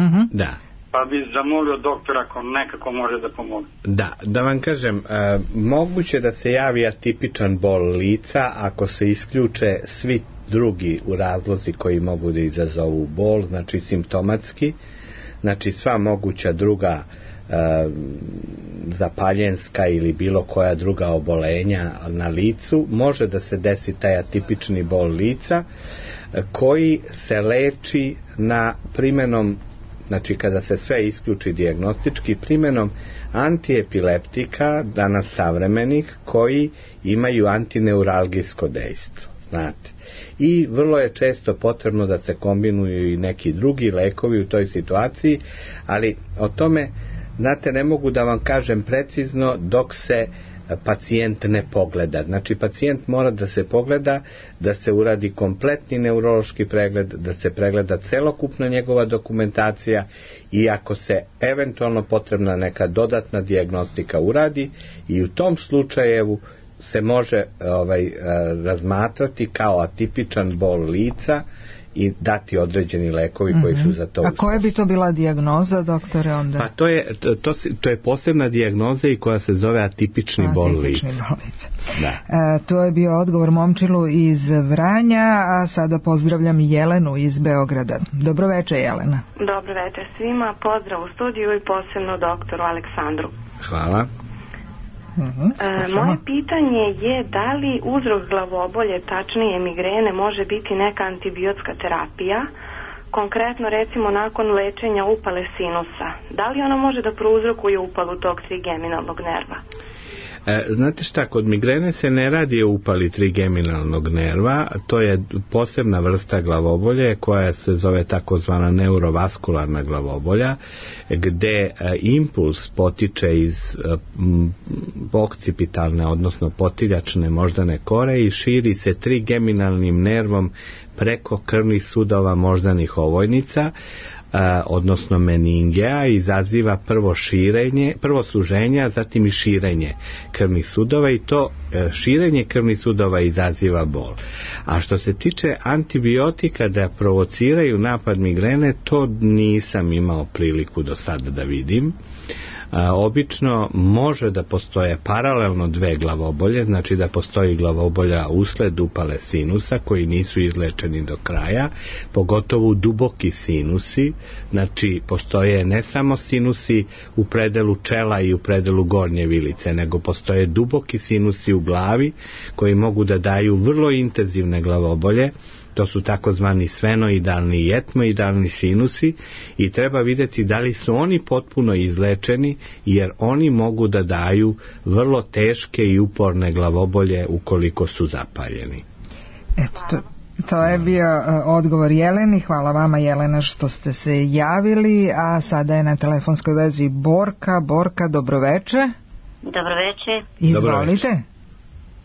Mm-hmm. Da. Pa bi zamolio doktora ako nekako može da pomogne. Da, da vam kažem, e, moguće da se javi atipičan bol lica ako se isključe svi drugi u razlozi koji mogu da izazovu bol, znači simptomatski, znači sva moguća druga e, zapaljenska ili bilo koja druga obolenja na licu, može da se desi taj atipični bol lica e, koji se leči na primenom, znači kada se sve isključi dijagnostički, primenom antiepileptika danas savremenih koji imaju antineuralgijsko dejstvo, znate. I vrlo je često potrebno da se kombinuju i neki drugi lekovi u toj situaciji, ali o tome, znate, ne mogu da vam kažem precizno dok se pacijent ne pogleda. Znači, pacijent mora da se pogleda, da se uradi kompletni neurološki pregled, da se pregleda celokupna njegova dokumentacija i ako se eventualno potrebna neka dodatna dijagnostika uradi, i u tom slučaju se može ovaj, razmatrati kao atipičan bol lica i dati određeni lekovi mm-hmm. koji su za to. A koja bi to bila dijagnoza, doktore, onda? Pa to je, to, to, to je posebna dijagnoza i koja se zove atipični bol lica. Atipični bol lica. Da. E, to je bio odgovor Momčilu iz Vranja, a sada pozdravljam Jelenu iz Beograda. Dobroveče, Jelena. Dobroveče svima, pozdrav u studiju i posebno doktoru Aleksandru. Hvala. Uh-huh, e, moje pitanje je da li uzrok glavobolje, tačnije migrene, može biti neka antibiotska terapija, konkretno recimo nakon lečenja upale sinusa. Da li ona može da prouzrokuje upalu tog trigeminalnog nerva? E, znate šta, kod migrene se ne radi o upali trigeminalnog nerva, to je posebna vrsta glavobolje koja se zove takozvana neurovaskularna glavobolja, gde e, impuls potiče iz e, okcipitalne, odnosno potiljačne moždane kore i širi se trigeminalnim nervom preko krvnih sudova moždanih ovojnica, odnosno meningea, izaziva prvo širenje, prvo suženje, a zatim i širenje krvnih sudova i to širenje krvnih sudova izaziva bol. A što se tiče antibiotika da provociraju napad migrene, to nisam imao priliku do sada da vidim. A, obično može da postoje paralelno dve glavobolje, znači da postoji glavobolja usled upale sinusa koji nisu izlečeni do kraja, pogotovo duboki sinusi, znači postoje ne samo sinusi u predelu čela i u predelu gornje vilice, nego postoje duboki sinusi u glavi koji mogu da daju vrlo intenzivne glavobolje, to su takozvani sfenoidalni i etmoidalni sinusi i treba vidjeti da li su oni potpuno izlečeni, jer oni mogu da daju vrlo teške i uporne glavobolje ukoliko su zapaljeni. Eto, to, to je bio odgovor Jeleni. Hvala vama, Jelena, što ste se javili, a sada je na telefonskoj vezi Borka. Borka, dobroveče. Dobroveče. Izvolite.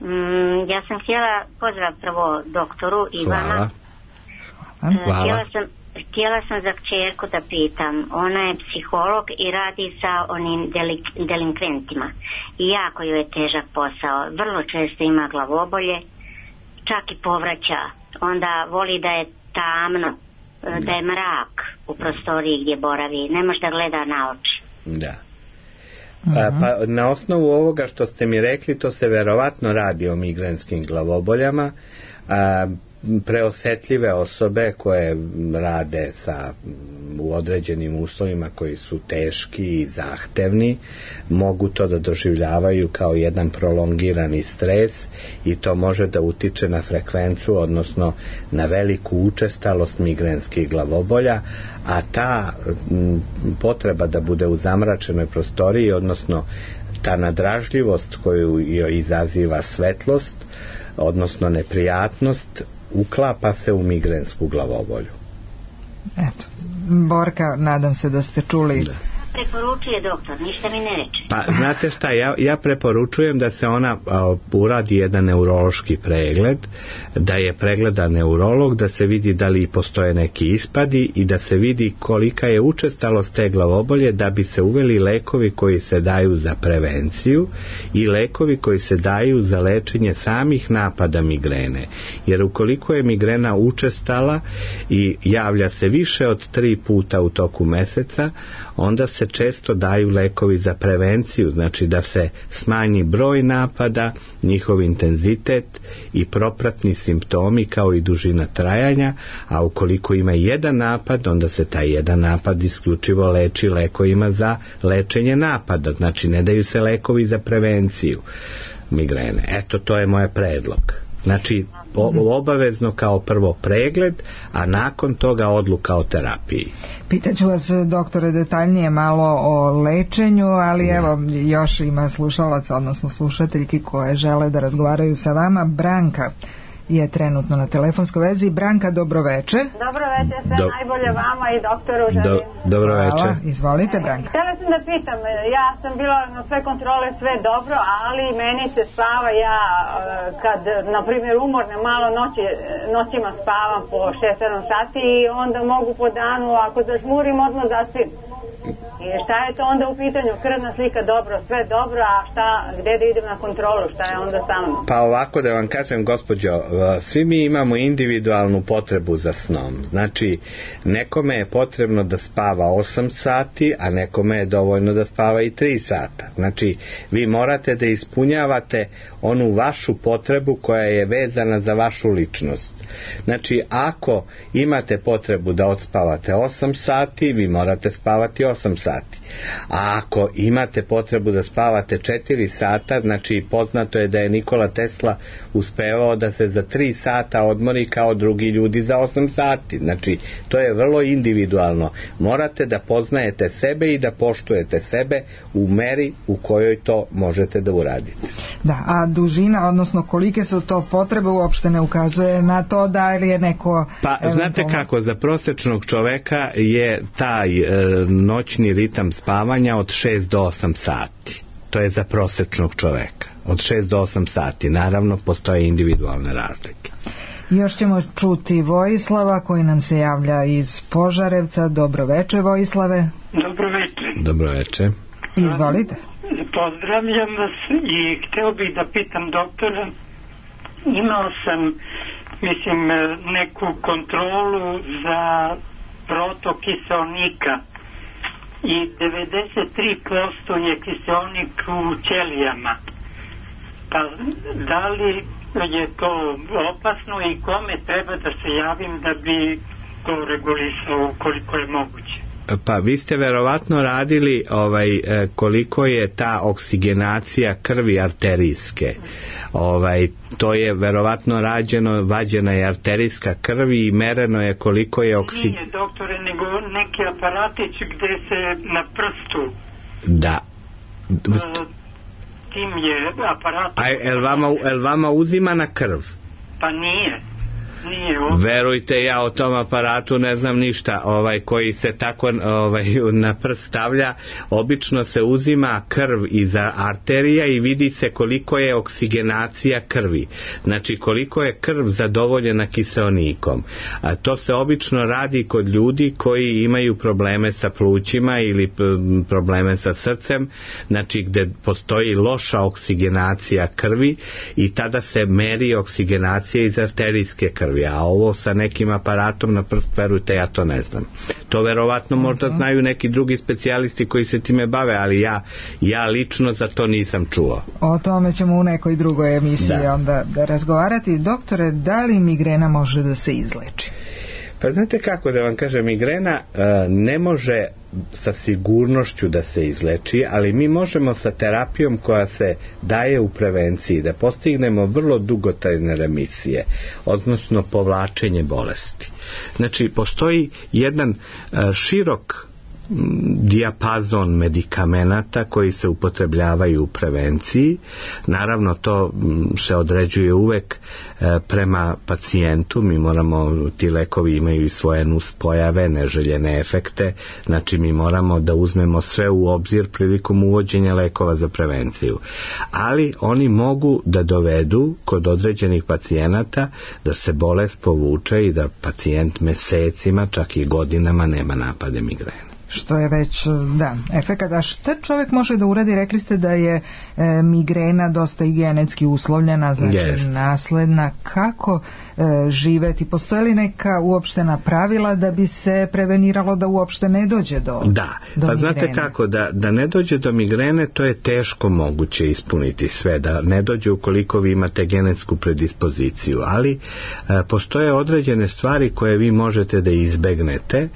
Mm, ja sam htjela pozdrav prvo doktoru i Hvala. vama. Hvala. Htjela sam, htjela sam za kćerku da pitam. Ona je psiholog i radi sa onim delik, delinkventima. I jako joj je težak posao. Vrlo često ima glavobolje, čak i povraća. Onda voli da je tamno, da je mrak u prostoriji gdje boravi. Ne može da gleda na oči. Da. A, pa na osnovu ovoga što ste mi rekli, to se verovatno radi o migrenskim glavoboljama. A, preosetljive osobe koje rade sa u određenim uslovima koji su teški i zahtevni mogu to da doživljavaju kao jedan prolongirani stres i to može da utiče na frekvenciju, odnosno na veliku učestalost migrenskih glavobolja, a ta m, potreba da bude u zamračenoj prostoriji, odnosno ta nadražljivost koju joj izaziva svetlost, odnosno neprijatnost, uklapa se u migrensku glavobolju. Eto, Borka, nadam se da ste čuli. Da. Preporučuje doktor, ništa mi ne reče. Pa znate šta, ja, ja preporučujem da se ona a, uradi jedan neurološki pregled, da je pregleda neurolog, da se vidi da li postoje neki ispadi i da se vidi kolika je učestalost te glavobolje, da bi se uveli lekovi koji se daju za prevenciju i lekovi koji se daju za lečenje samih napada migrene. Jer ukoliko je migrena učestala i javlja se više od tri puta u toku meseca, onda se često daju lekovi za prevenciju, znači da se smanji broj napada, njihov intenzitet i propratni simptomi kao i dužina trajanja, a ukoliko ima jedan napad, onda se taj jedan napad isključivo leči lekovima za lečenje napada, znači ne daju se lekovi za prevenciju migrene. Eto, to je moj predlog. Znači, obavezno kao prvo pregled, a nakon toga odluka o terapiji. Pitaću vas, doktore, detaljnije malo o lečenju, ali ne. Evo, još ima slušalaca, odnosno slušateljki koje žele da razgovaraju sa vama. Branka je trenutno na telefonskoj vezi. Branka, dobroveče. Dobroveče, sve Do... najbolje vama i doktoru želim. Do... Dobroveče. Izvolite, Branka. Htjela sam da pitam, ja sam bila na sve kontrole, sve dobro, ali meni se spava, ja kad, na primjer, umorne malo noći, noćima spavam po šest sedam sati i onda mogu po danu, ako zažmurim, odmah zaspim. I šta je to onda u pitanju? Krvna slika dobro, sve dobro, a šta, gde da idem na kontrolu, šta je onda sa mnom? Pa ovako da vam kažem, gospođo, svi mi imamo individualnu potrebu za snom. Znači, nekome je potrebno da spava osam sati, a nekome je dovoljno da spava i tri sata. Znači, vi morate da ispunjavate onu vašu potrebu koja je vezana za vašu ličnost. Znači, ako imate potrebu da odspavate osam sati, vi morate spavati osam sati. A ako imate potrebu da spavate četiri sata, znači poznato je da je Nikola Tesla uspevao da se za tri sata odmori kao drugi ljudi za osam sati. Znači, to je vrlo individualno. Morate da poznajete sebe i da poštujete sebe u meri u kojoj to možete da uradite. Da, a dužina, odnosno kolike su to potrebe, uopšte ne ukazuje na to da li je neko... Pa, eventualno... znate kako, za prosječnog čoveka je taj e, noćni ritam spavanja od šest do osam sati. To je za prosječnog čoveka. Od šest do osam sati. Naravno, postoje individualne razlike. Još ćemo čuti Vojislava koji nam se javlja iz Požarevca. Dobroveče, Vojislave. Dobroveče. Dobroveče. Izvolite. Pozdravljam vas i hteo bih da pitam doktora. Imao sam, mislim, neku kontrolu za protok kiseonika i devedeset tri posto je kiseonik u ćelijama. Pa da li je to opasno i kome treba da se javim da bi to regulisao koliko je moguće? Pa vi ste verovatno radili ovaj, koliko je ta oksigenacija krvi arterijske. Ovaj, to je verovatno rađeno, vađena je arterijska krvi i mereno je koliko je oksigenacija. Nije, doktore, nego neki aparatić gde se na prstu. Da. Tim je aparat. A el vama, el vama uzima na krv? Pa nije. Nije. Verujte, ja o tom aparatu ne znam ništa, ovaj koji se tako ovaj na prst stavlja. Obično se uzima krv iz arterija i vidi se koliko je oksigenacija krvi. Znači koliko je krv zadovoljena kiseonikom. A to se obično radi kod ljudi koji imaju probleme sa plućima ili probleme sa srcem, znači gde postoji loša oksigenacija krvi i tada se meri oksigenacija iz arterijske krvi. A ovo sa nekim aparatom na prst, verujte, ja to ne znam. To verovatno možda znaju neki drugi specijalisti koji se time bave, ali ja, ja lično za to nisam čuo. O tome ćemo u nekoj drugoj emisiji da. onda da razgovarati. Doktore, da li migrena može da se izleči? Pa znate kako da vam kažem, migrena e, ne može sa sigurnošću da se izleči, ali mi možemo sa terapijom koja se daje u prevenciji da postignemo vrlo dugotrajne remisije, odnosno povlačenje bolesti. Znači, postoji jedan e, širok dijapazon medikamenata koji se upotrebljavaju u prevenciji. Naravno, to se određuje uvek prema pacijentu. Mi moramo, ti lekovi imaju i svoje nuspojave, neželjene efekte, znači mi moramo da uzmemo sve u obzir prilikom uvođenja lekova za prevenciju. Ali oni mogu da dovedu kod određenih pacijenata da se bolest povuče i da pacijent mesecima, čak i godinama nema napade migrene. Što je već, da, efekat. A šta čovjek može da uradi? Rekli ste da je e, migrena dosta i genetski uslovljena, znači yes. nasledna. Kako e, živeti? Postoje li neka uopštena pravila da bi se preveniralo da uopšte ne dođe do, da. do pa migrene? Znate kako, da, da ne dođe do migrene, to je teško moguće ispuniti sve, da ne dođe ukoliko vi imate genetsku predispoziciju, ali e, postoje određene stvari koje vi možete da izbegnete. E,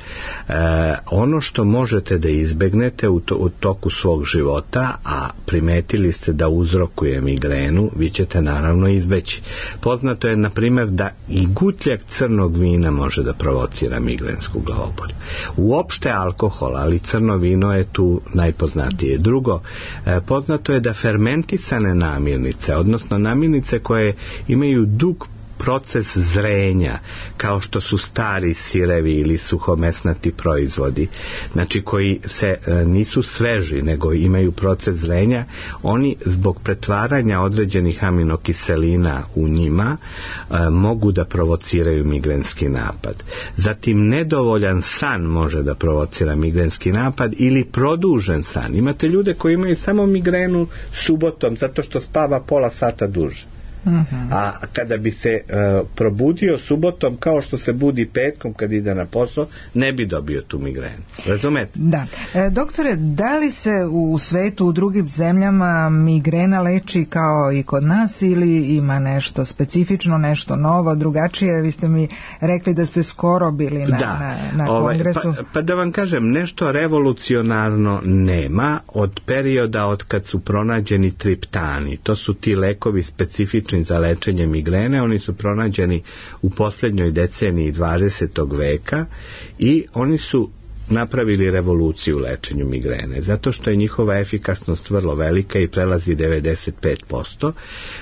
ono što možete da izbegnete u, to, u toku svog života, a primetili ste da uzrokuje migrenu, vi ćete naravno izbeći. Poznato je, na primjer, da i gutljak crnog vina može da provocira migrensku glavobolju. Uopšte alkohol, ali crno vino je tu najpoznatije. Drugo, eh, poznato je da fermentisane namirnice, odnosno namirnice koje imaju dug proces zrenja, kao što su stari sirevi ili suhomesnati proizvodi, znači koji se e, nisu sveži, nego imaju proces zrenja, oni zbog pretvaranja određenih aminokiselina u njima e, mogu da provociraju migrenski napad. Zatim, nedovoljan san može da provocira migrenski napad ili produžen san. Imate ljude koji imaju samo migrenu subotom zato što spava pola sata duže. Uh-huh. A kada bi se uh, probudio subotom kao što se budi petkom kad ide na posao, ne bi dobio tu migrenu. Razumete? Da. E, doktore, da li se u svetu, u drugim zemljama migrena leči kao i kod nas ili ima nešto specifično, nešto novo, drugačije? Vi ste mi rekli da ste skoro bili na, da. na, na ovaj, kongresu. Pa, pa da vam kažem, nešto revolucionarno nema od perioda od kad su pronađeni triptani. To su ti lekovi specifični za lečenje migrene, oni su pronađeni u posljednjoj deceniji dvadesetog veka i oni su napravili revoluciju u lečenju migrene, zato što je njihova efikasnost vrlo velika i prelazi devedeset pet posto.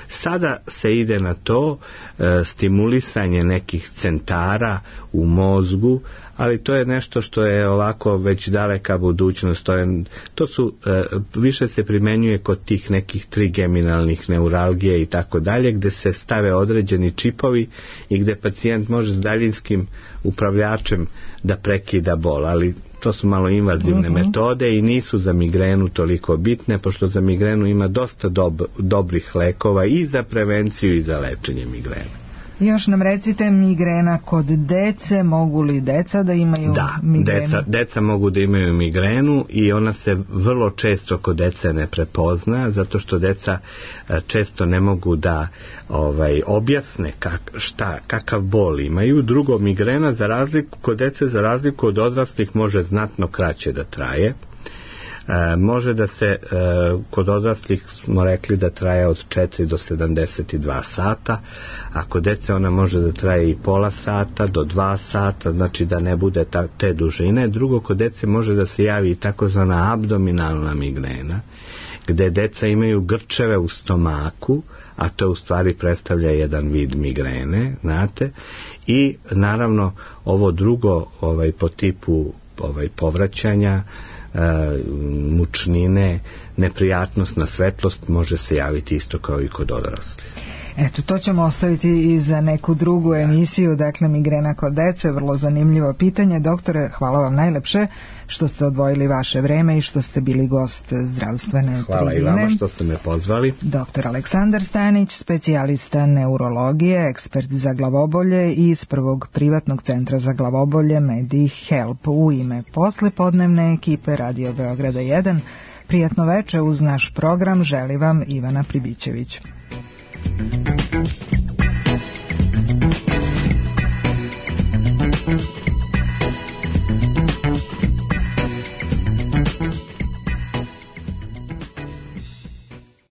Sada se ide na to e, stimulisanje nekih centara u mozgu, ali to je nešto što je ovako već daleka budućnost. To, je, to su, e, više se primenjuje kod tih nekih trigeminalnih neuralgija i tako dalje, gde se stave određeni čipovi i gde pacijent može s daljinskim upravljačem da prekida bol, ali to su malo invazivne uh-huh. metode i nisu za migrenu toliko bitne, pošto za migrenu ima dosta dob- dobrih lekova i za prevenciju i za lečenje migrene. Još nam recite, migrena kod dece, mogu li deca da imaju da, migrenu? Da, deca, deca mogu da imaju migrenu i ona se vrlo često kod dece ne prepozna, zato što deca često ne mogu da ovaj, objasne kak, šta, kakav bol imaju. Drugo, migrena za razliku, kod dece za razliku od odraslih može znatno kraće da traje. E, može da se, e, kod odraslih smo rekli da traje od četiri do sedamdeset dva sata, a kod dece ona može da traje i pola sata do dva sata, znači da ne bude ta, te dužine. Drugo, kod dece može da se javi i takozvana abdominalna migrena, gde deca imaju grčeve u stomaku, a to u stvari predstavlja jedan vid migrene, znate, i naravno ovo drugo ovaj, po tipu ovaj, povraćanja, mučnine, neprijatnost na svetlost može se javiti isto kao i kod odraslih. Eto, to ćemo ostaviti i za neku drugu emisiju, dakle migrena kod dece, vrlo zanimljivo pitanje. Doktore, hvala vam najlepše što ste odvojili vaše vreme i što ste bili gost zdravstvene hvala tribine. Hvala i vama što ste me pozvali. Doktor Aleksandar Stanić, specijalista neurologije, ekspert za glavobolje iz prvog privatnog centra za glavobolje MediHelp. U ime poslepodnevne ekipe Radio Beograda jedan, prijatno veče uz naš program želi vam Ivana Pribićević. Thank you.